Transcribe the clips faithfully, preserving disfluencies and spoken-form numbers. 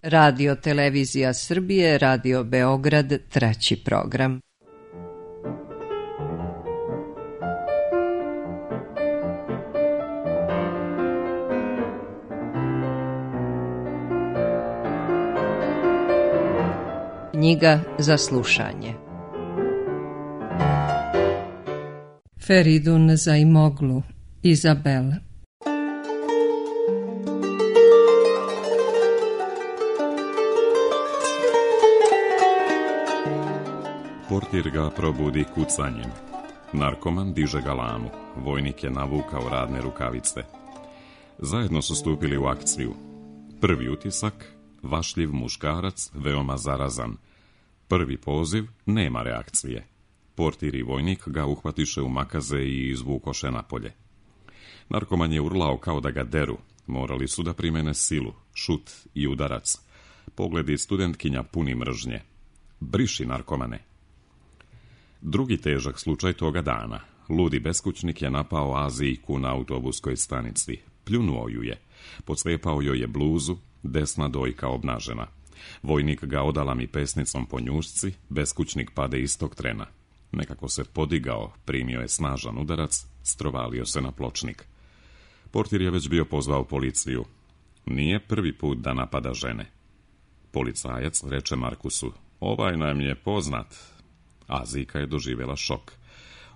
Radio Televizija Srbije, Radio Beograd, treći program. Knjiga za slušanje. Feridun Zaimoglu, Izabel. Portir ga probudi kucanjem. Narkoman diže galamu. Vojnik je navukao radne rukavice. Zajedno su stupili u akciju. Prvi utisak, vašljiv muškarac, veoma zarazan. Prvi poziv, nema reakcije. Portir i vojnik ga uhvatiše u makaze i izvukoše napolje. Narkoman je urlao kao da ga deru. Morali su da primene silu, šut i udarac. Pogledi studentkinja puni mržnje. Briši, narkomane. Drugi težak slučaj toga dana. Ludi beskućnik je napao Azijku na autobuskoj stanici. Pljunuo ju je. Podslijepao joj je bluzu, desna dojka obnažena. Vojnik ga odalami pesnicom po njušci, beskućnik pade istog trena. Nekako se podigao, primio je snažan udarac, strovalio se na pločnik. Portir je već bio pozvao policiju. Nije prvi put da napada žene. Policajac reče Markusu, ovaj nam je poznat. Azijka je doživjela šok.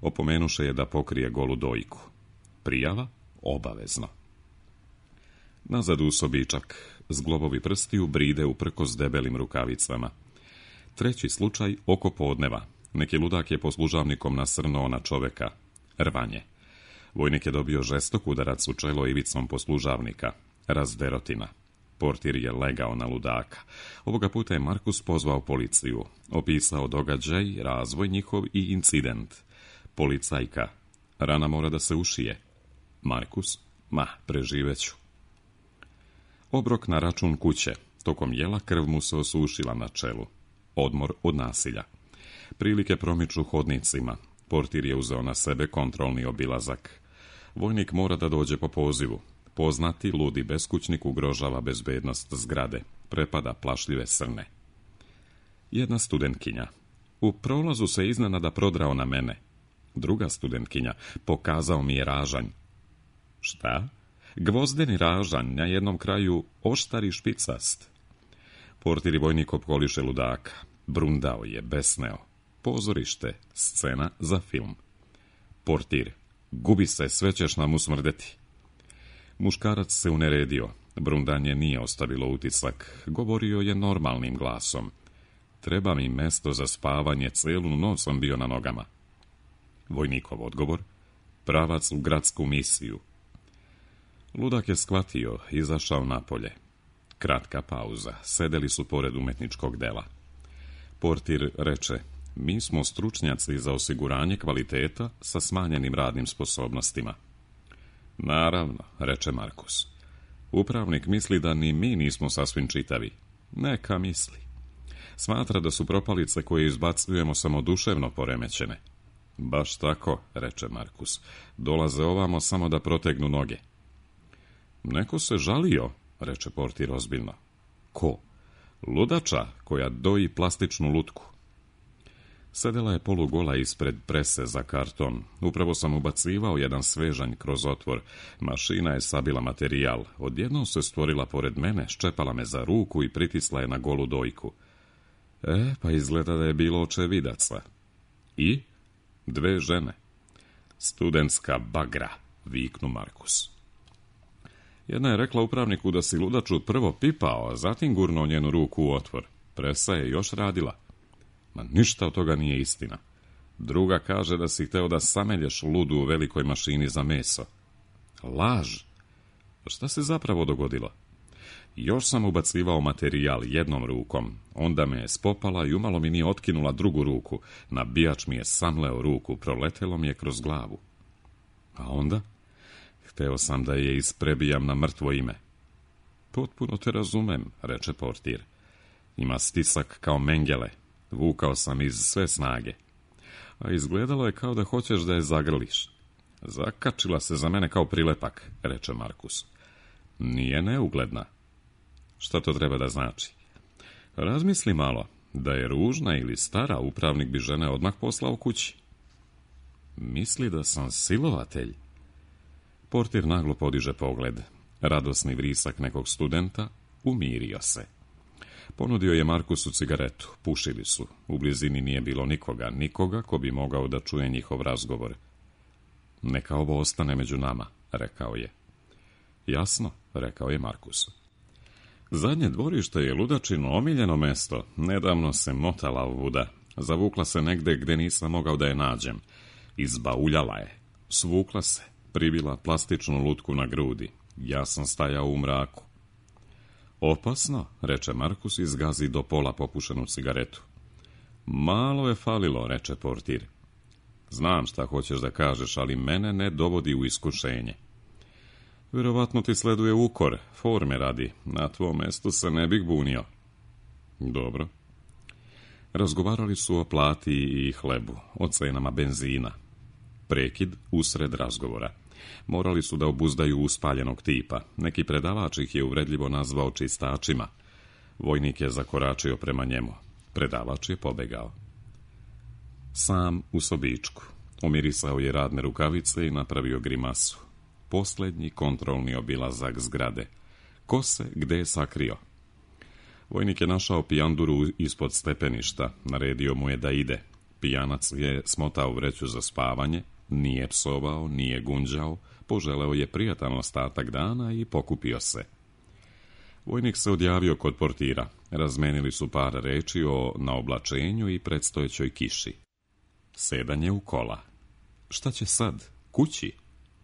Opomenuše je da pokrije golu dojku. Prijava? Obavezno. Nazad u sobičak. Zglobovi prstiju bride uprkos debelim rukavicama. Treći slučaj oko podneva. Neki ludak je poslužavnikom nasrnuo na čoveka. Rvanje. Vojnik je dobio žestok udarac u čelo ivicom poslužavnika. Razderotina. Portir je legao na ludaka. Ovoga puta je Markus pozvao policiju. Opisao događaj, razvoj njihov i incident. Policajka. Rana mora da se ušije. Markus. Ma, preživeću. Obrok na račun kuće. Tokom jela krv mu se osušila na čelu. Odmor od nasilja. Prilike promiču hodnicima. Portir je uzeo na sebe kontrolni obilazak. Vojnik mora da dođe po pozivu. Poznati ludi beskućnik ugrožava bezbednost zgrade. Prepada plašljive srne. Jedna studentkinja. U prolazu se iznenada prodrao na mene. Druga studentkinja. Pokazao mi je ražanj. Šta? Gvozdeni ražanj, na jednom kraju oštar i špicast. Portir i vojnik opkoliše ludaka. Brundao je, besneo. Pozorište, scena za film. Portir. Gubi se, sve ćeš nam usmrdeti. Muškarac se uneredio. Brundanje nije ostavilo utisak. Govorio je normalnim glasom. Treba mi mesto za spavanje, celu noć sam bio na nogama. Vojnikov odgovor. Pravac u gradsku misiju. Ludak je shvatio, izašao napolje. Kratka pauza. Sedeli su pored umetničkog dela. Portir reče, mi smo stručnjaci za osiguranje kvaliteta sa smanjenim radnim sposobnostima. Naravno, reče Markus. Upravnik misli da ni mi nismo sasvim čitavi. Neka misli. Smatra da su propalice koje izbacujemo samo duševno poremećene. Baš tako, reče Markus. Dolaze ovamo samo da protegnu noge. Neko se žalio, reče Portir ozbiljno. Ko? Ludača koja doji plastičnu lutku. Sedela je polugola ispred prese za karton. Upravo sam ubacivao jedan svežanj kroz otvor. Mašina je sabila materijal. Odjednom se stvorila pored mene, ščepala me za ruku i pritisla je na golu dojku. E, pa izgleda da je bilo očevidaca. I? Dve žene. Studentska bagra, viknu Markus. Jedna je rekla upravniku da si ludaču prvo pipao, a zatim gurnuo njenu ruku u otvor. Presa je još radila. Ma ništa od toga nije istina. Druga kaže da si hteo da samelješ ludu u velikoj mašini za meso. Laž. Šta se zapravo dogodilo? Još sam ubacivao materijal jednom rukom. Onda me je spopala i umalo mi nije otkinula drugu ruku. Nabijač mi je samleo ruku, proletelo mi je kroz glavu. A onda? Hteo sam da je isprebijam na mrtvo ime. Potpuno te razumem, reče Portir. Ima stisak kao mengele. Vukao sam iz sve snage. A izgledalo je kao da hoćeš da je zagrliš. Zakačila se za mene kao prilepak, reče Markus. Nije neugledna. Šta to treba da znači? Razmisli malo, da je ružna ili stara, upravnik bi žene odmah poslao kući. Misli da sam silovatelj. Portir naglo podiže pogled. Radosni vrisak nekog studenta, umirio se. Ponudio je Markusu cigaretu, pušili su. U blizini nije bilo nikoga, nikoga ko bi mogao da čuje njihov razgovor. Neka ovo ostane među nama, rekao je. Jasno, rekao je Markus. Zadnje dvorište je ludačino omiljeno mesto. Nedavno se motala ovuda. Zavukla se negde gde nisam mogao da je nađem. Izbauljala je. Svukla se, pribila plastičnu lutku na grudi. Ja sam stajao u mraku. Opasno, reče Markus i zgazi do pola popušenu cigaretu. Malo je falilo, reče portir. Znam šta hoćeš da kažeš, ali mene ne dovodi u iskušenje. Vjerovatno ti sleduje ukor, forme radi. Na tvom mestu se ne bih bunio. Dobro. Razgovarali su o plati i hlebu, o cenama benzina. Prekid usred razgovora. Morali su da obuzdaju uspaljenog tipa. Neki predavač ih je uvredljivo nazvao čistačima. Vojnik je zakoračio prema njemu. Predavač je pobegao. Sam u sobičku. Umirisao je radne rukavice i napravio grimasu. Posljednji kontrolni obilazak zgrade. Ko se gde je sakrio? Vojnik je našao pijanduru ispod stepeništa. Naredio mu je da ide. Pijanac je smotao vreću za spavanje. Nije psovao, nije gunđao. Poželeo je prijatan ostatak dana i pokupio se. Vojnik se odjavio kod portira. Razmenili su par reči o naoblačenju i predstojećoj kiši. Sedanje u kola. Šta će sad? Kući?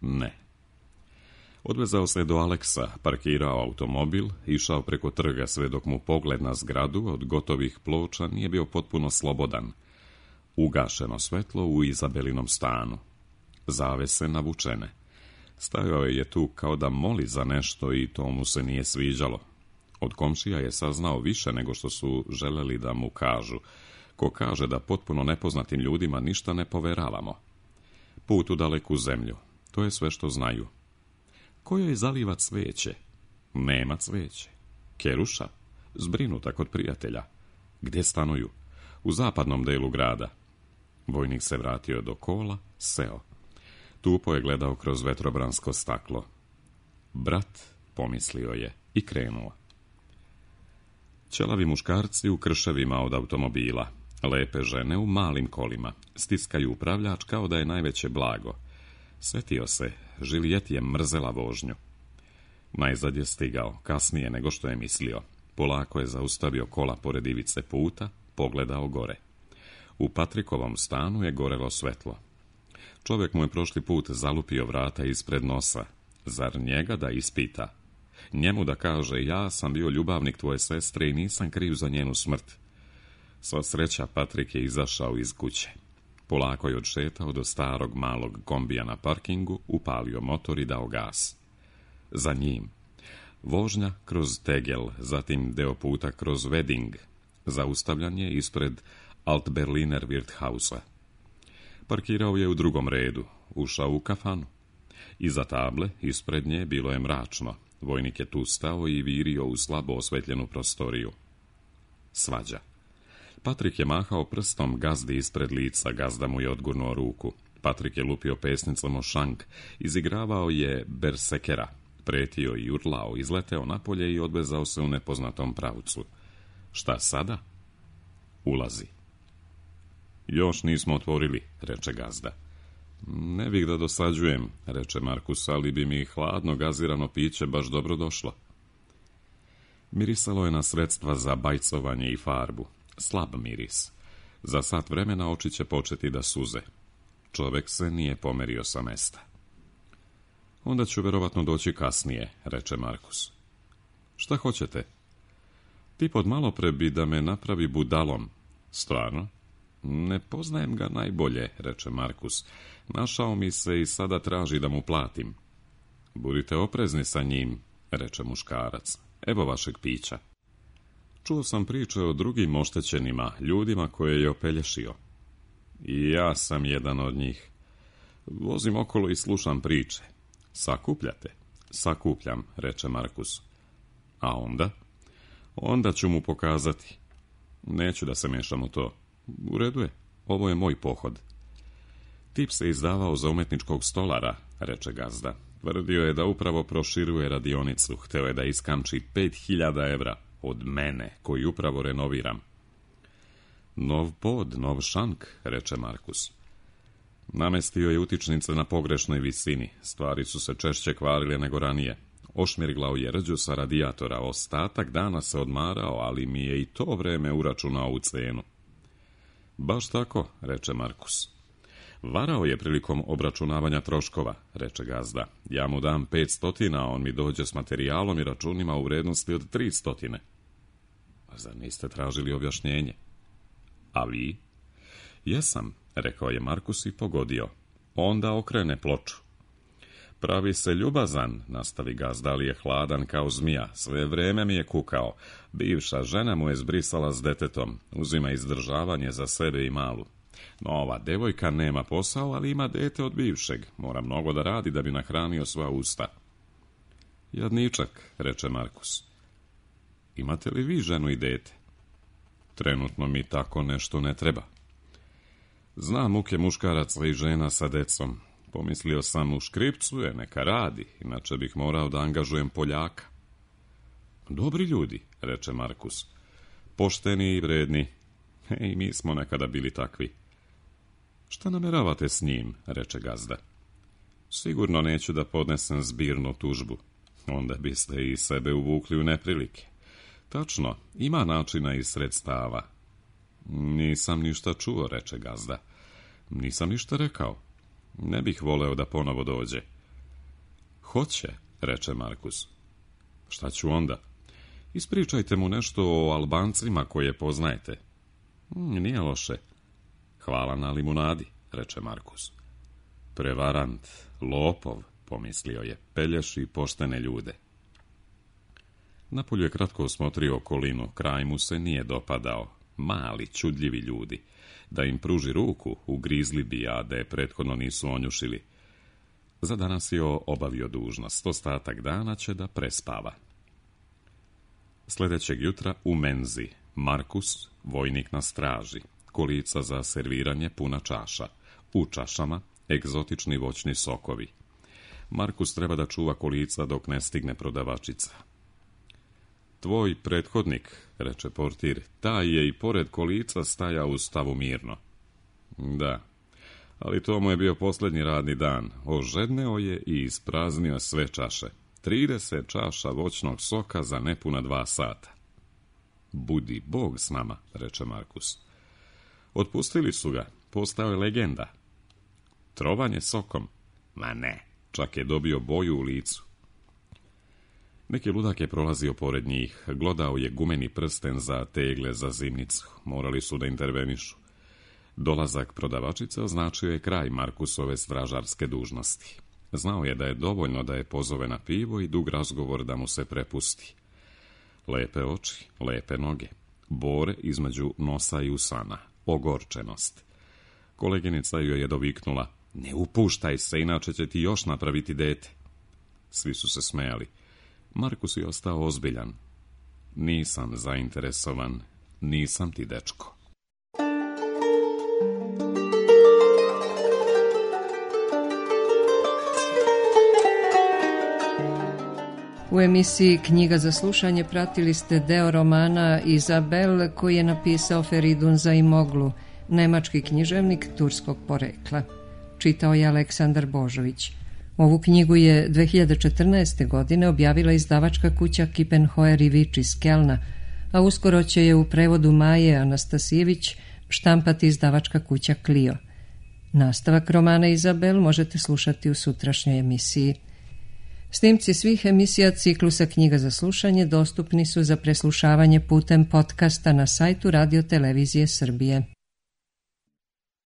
Ne. Odvezao se do Aleksa, parkirao automobil, išao preko trga sve dok mu pogled na zgradu od gotovih ploča nije bio potpuno slobodan. Ugašeno svetlo u Izabelinom stanu. Zavese navučene. Stajao je tu kao da moli za nešto i to mu se nije sviđalo. Od komšija je saznao više nego što su želeli da mu kažu. Ko kaže da potpuno nepoznatim ljudima ništa ne poveravamo. Put u daleku zemlju. To je sve što znaju. Ko joj zaliva cveće? Nema cveće. Keruša? Zbrinuta kod prijatelja. Gdje stanuju? U zapadnom delu grada. Vojnik se vratio do kola, seo. Tupo je gledao kroz vetrobransko staklo. Brat, pomislio je, i krenuo. Ćelavi muškarci u krševima od automobila. Lepe žene u malim kolima. Stiskaju upravljač kao da je najveće blago. Svetio se, Žilijet je mrzela vožnju. Najzad je stigao, kasnije nego što je mislio. Polako je zaustavio kola pored ivice puta, pogledao gore. U Patrikovom stanu je gorelo svetlo. Čovjek mu je prošli put zalupio vrata ispred nosa. Zar njega da ispita? Njemu da kaže, ja sam bio ljubavnik tvoje sestre i nisam kriv za njenu smrt. Sva sreća, Patrik je izašao iz kuće. Polako je odšetao do starog malog kombija na parkingu, upalio motor i dao gas. Za njim. Vožnja kroz Tegel, zatim deo puta kroz Wedding. Zaustavljan je ispred Alt-Berliner Wirthausa. Parkirao je u drugom redu, ušao u kafanu. Iza table, ispred nje, bilo je mračno. Vojnik je tu stao i virio u slabo osvetljenu prostoriju. Svađa. Patrik je mahao prstom gazdi ispred lica, gazda mu je odgurnuo ruku. Patrik je lupio pesnicom o šank, izigravao je bersekera, pretio i urlao, izleteo napolje i odvezao se u nepoznatom pravcu. Šta sada? Ulazi. Još nismo otvorili, reče gazda. Ne bih da dosađujem, reče Markus, ali bi mi hladno gazirano piće baš dobro došlo. Mirisalo je na sredstva za bajcovanje i farbu. Slab miris. Za sat vremena oči će početi da suze. Čovek se nije pomerio sa mesta. Onda ću verovatno doći kasnije, reče Markus. Šta hoćete? Tip od malopre bi da me napravi budalom. Stvarno? Ne poznajem ga najbolje, reče Markus. Našao mi se i sada traži da mu platim. Budite oprezni sa njim, reče muškarac. Evo vašeg pića. Čuo sam priče o drugim oštećenima, ljudima koje je opelješio. I ja sam jedan od njih. Vozim okolo i slušam priče. Sakupljate? Sakupljam, reče Markus. A onda? Onda ću mu pokazati. Neću da se mešam u to. U redu je, ovo je moj pohod. Tip se izdavao za umetničkog stolara, reče gazda. Tvrdio je da upravo proširuje radionicu. Hteo je da iskamči pet hiljada evra od mene, koji upravo renoviram. Nov pod, nov šank, reče Markus. Namestio je utičnice na pogrešnoj visini. Stvari su se češće kvarile nego ranije. Ošmirglao je rđu sa radijatora. Ostatak dana se odmarao, ali mi je i to vreme uračunao u cenu. Baš tako, reče Markus. Varao je prilikom obračunavanja troškova, reče gazda. Ja mu dam pet stotina, a on mi dođe s materijalom i računima u vrednosti od tri stotine. A zar niste tražili objašnjenje? A vi? Jesam, rekao je Markus i pogodio. Onda okrene ploču. Pravi se ljubazan, nastavi gazda, ali je hladan kao zmija. Sve vreme mi je kukao. Bivša žena mu je zbrisala s detetom. Uzima izdržavanje za sebe i malu. No, ova devojka nema posao, ali ima dete od bivšeg. Mora mnogo da radi da bi nahranio sva usta. Jadničak, reče Markus. Imate li vi ženu i dete? Trenutno mi tako nešto ne treba. Znam muke muškaraca i žena sa decom. Pomislio sam, u škripcu je, neka radi, inače bih morao da angažujem Poljaka. Dobri ljudi, reče Markus. Pošteni i vredni. I mi smo nekada bili takvi. Šta nameravate s njim, reče gazda. Sigurno neću da podnesem zbirnu tužbu. Onda biste i sebe uvukli u neprilike. Tačno, ima načina i sredstava. Nisam ništa čuo, reče gazda. Nisam ništa rekao. Ne bih voleo da ponovo dođe. Hoće, reče Markus. Šta ću onda? Ispričajte mu nešto o Albancima koje poznajete. Nije loše. Hvala na limunadi, reče Markus. Prevarant, lopov, pomislio je, pelješi poštene ljude. Napolju je kratko osmotrio okolinu, kraj mu se nije dopadao. Mali, čudljivi ljudi. Da im pruži ruku, ugrizli bi, a da je prethodno nisu onjušili. Za danas je obavio dužnost, ostatak dana će da prespava. Sljedećeg jutra u menzi, Markus, vojnik na straži, kolica za serviranje puna čaša, u čašama egzotični voćni sokovi. Markus treba da čuva kolica dok ne stigne prodavačica. Tvoj prethodnik, reče portir, taj je i pored kolica stajao u stavu mirno. Da, ali to mu je bio posljednji radni dan. Ožedneo je i ispraznio sve čaše. Trideset čaša voćnog soka za nepuna dva sata. Budi Bog s nama, reče Markus. Otpustili su ga, postao je legenda. Trovanje sokom? Ma ne, čak je dobio boju u licu. Neki ludak je prolazio pored njih, glodao je gumeni prsten za tegle za zimnicu, morali su da intervenišu. Dolazak prodavačice označio je kraj Markusove stražarske dužnosti. Znao je da je dovoljno da je pozove na pivo i dug razgovor da mu se prepusti. Lepe oči, lepe noge, bore između nosa i usana, ogorčenost. Koleginica joj je doviknula, ne upuštaj se, inače će ti još napraviti dete. Svi su se smejali. Markus je ostao ozbiljan. Nisam zainteresovan, nisam ti dečko. U emisiji Knjiga za slušanje pratili ste deo romana Izabel koji je napisao Feridun Zaimoglu, nemački književnik turskog porekla. Čitao je Aleksandar Božović. Ovu knjigu je dve hiljade četrnaeste. godine objavila izdavačka kuća Kippenhoer i Vič iz Kelna, a uskoro će je u prevodu Maje Anastasijević štampati izdavačka kuća Clio. Nastavak romana Izabel možete slušati u sutrašnjoj emisiji. Snimci svih emisija ciklusa Knjiga za slušanje dostupni su za preslušavanje putem podcasta na sajtu Radio Televizije Srbije.